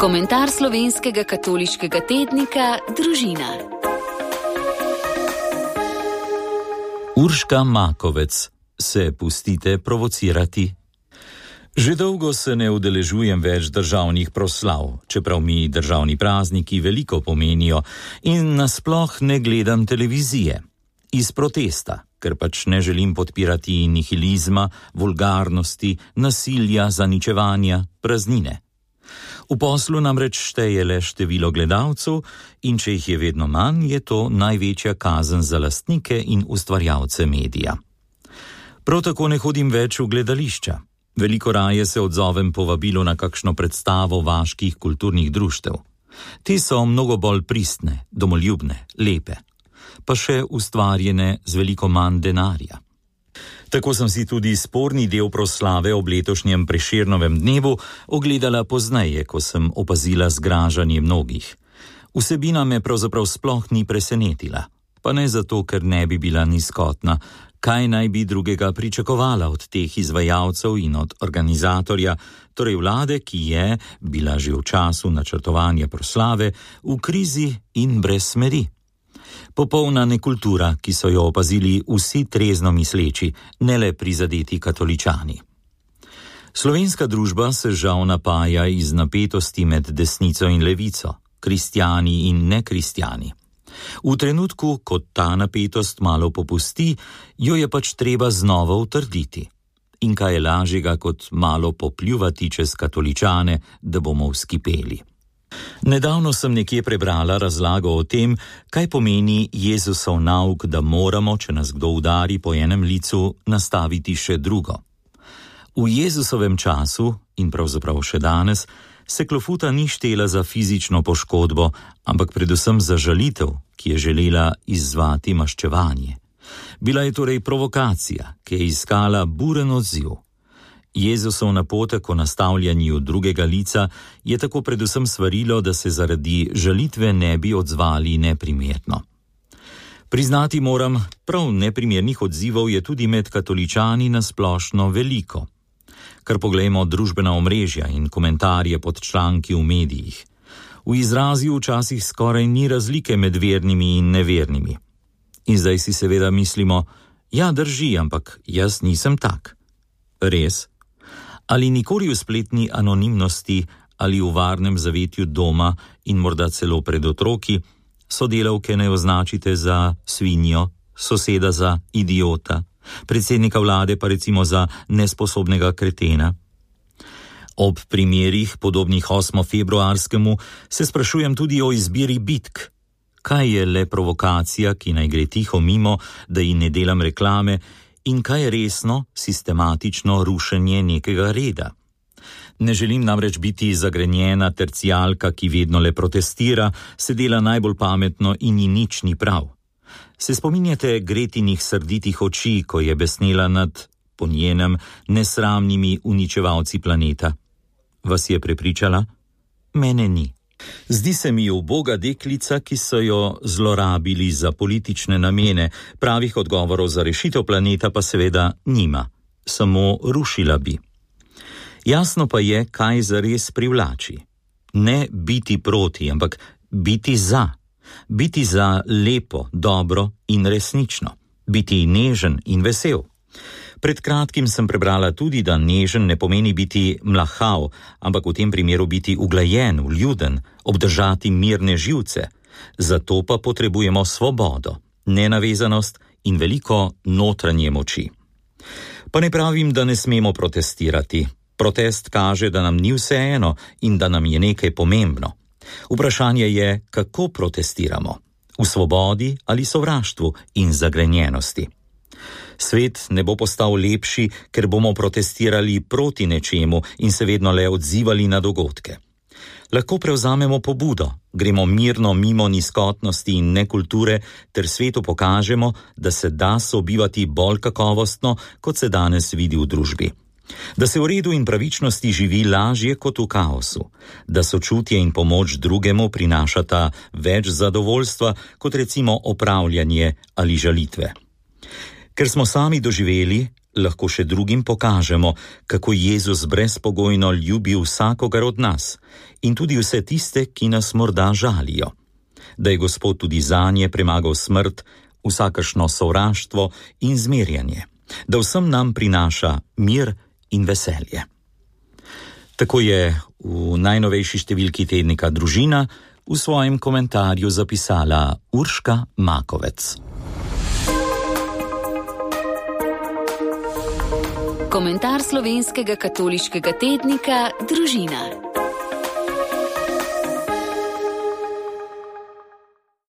Komentar slovenskega katoliškega tednika Družina. Urška Makovec, se pustite provocirati? Že dolgo se ne udeležujem več državnih proslav, čeprav mi državni prazniki veliko pomenijo in nasploh ne gledam televizije. Iz protesta, ker pač ne želim podpirati nihilizma, vulgarnosti, nasilja, zaničevanja, praznine. V poslu namreč šteje le število gledalcev in če jih je vedno manj, je to največja kazen za lastnike in ustvarjalce medija. Prav tako ne hodim več v gledališča. Veliko raje se odzovem povabilo na kakšno predstavo vaških kulturnih društev. Te so mnogo bolj pristne, domoljubne, lepe, pa še ustvarjene z veliko manj denarja. Tako sem si tudi sporni del proslave ob letošnjem Prešernovem dnevu ogledala pozneje, ko sem opazila zgražanje mnogih. Vsebina me pravzaprav sploh ni presenetila, pa ne zato, ker ne bi bila nizkotna. Kaj naj bi drugega pričakovala od teh izvajalcev in od organizatorja, torej vlade, ki je bila že v času načrtovanja proslave v krizi in brez smeri. Popolna nekultura, ki so jo opazili vsi trezno misleči, ne le prizadeti katoličani. Slovenska družba se žal napaja iz napetosti med desnico in levico, kristjani in nekristjani. V trenutku, ko ta napetost malo popusti, jo je pač treba znova utrditi. In kaj je lažjega, kot malo popljuvati čez katoličane, da bomo vzkipeli. Nedavno sem nekje prebrala razlago o tem, kaj pomeni Jezusov nauk, da moramo, če nas kdo udari po enem licu, nastaviti še drugo. V Jezusovem času, in pravzaprav še danes, se klofuta ni štela za fizično poškodbo, ampak predvsem za žalitev, ki je želela izzvati maščevanje. Bila je torej provokacija, ki je iskala buren odziv. Jezusov napotek o nastavljanju drugega lica je tako predvsem svarilo, da se zaradi žalitve ne bi odzvali neprimerno. Priznati moram, prav neprimernih odzivov je tudi med katoličani nasplošno veliko. Kar poglejmo družbena omrežja in komentarje pod članki v medijih. V izrazju včasih skoraj ni razlike med vernimi in nevernimi. In zdaj si seveda mislimo, ja, drži, ampak jaz nisem tak. Res? Ali nikoli v spletni anonimnosti ali v varnem zavetju doma in morda celo pred otroki sodelavke ne označite za svinjo, soseda za idiota, predsednika vlade pa recimo za nesposobnega kretena? Ob primerih, podobnih 8. februarskemu, se sprašujem tudi o izbiri bitk. Kaj je le provokacija, ki naj gre tiho mimo, da ji ne delam reklame, in kaj je resno, sistematično rušenje nekega reda? Ne želim namreč biti zagrenjena tercijalka, ki vedno le protestira, se dela najbolj pametno in ji nič ni prav. Se spominjate Gretinih srditih oči, ko je besnela nad, po njenem, nesramnimi uničevalci planeta? Vas je prepričala? Mene ni. Zdi se mi uboga deklica, ki so jo zlorabili za politične namene, pravih odgovorov za rešitev planeta pa seveda nima, samo rušila bi. Jasno pa je, kaj zares privlači. Ne biti proti, ampak biti za. Biti za lepo, dobro in resnično. Biti nežen in vesel. Pred kratkim sem prebrala tudi, da nežen ne pomeni biti mlahav, ampak v tem primeru biti uglajen, vljuden, obdržati mirne živce. Zato pa potrebujemo svobodo, nenavezanost in veliko notranje moči. Pa ne pravim, da ne smemo protestirati. Protest kaže, da nam ni vseeno in da nam je nekaj pomembno. Vprašanje je, kako protestiramo. V svobodi ali sovraštvu in zagrenjenosti. Svet ne bo postal lepši, ker bomo protestirali proti nečemu in se vedno le odzivali na dogodke. Lahko prevzamemo pobudo, gremo mirno mimo nizkotnosti in nekulture ter svetu pokažemo, da se da sobivati bolj kakovostno, kot se danes vidi v družbi. Da se v redu in pravičnosti živi lažje kot v kaosu, da sočutje in pomoč drugemu prinašata več zadovoljstva kot recimo opravljanje ali žalitve. Ker smo sami doživeli, lahko še drugim pokažemo, kako Jezus brezpogojno ljubi vsakogar od nas in tudi vse tiste, ki nas morda žalijo. Da je Gospod tudi zanje premagal smrt, vsakršno sovraštvo in zmerjanje, da vsem nam prinaša mir in veselje. Tako je v najnovejši številki tednika Družina v svojem komentarju zapisala Urška Makovec. Komentar slovenskega katoliškega tednika Družina.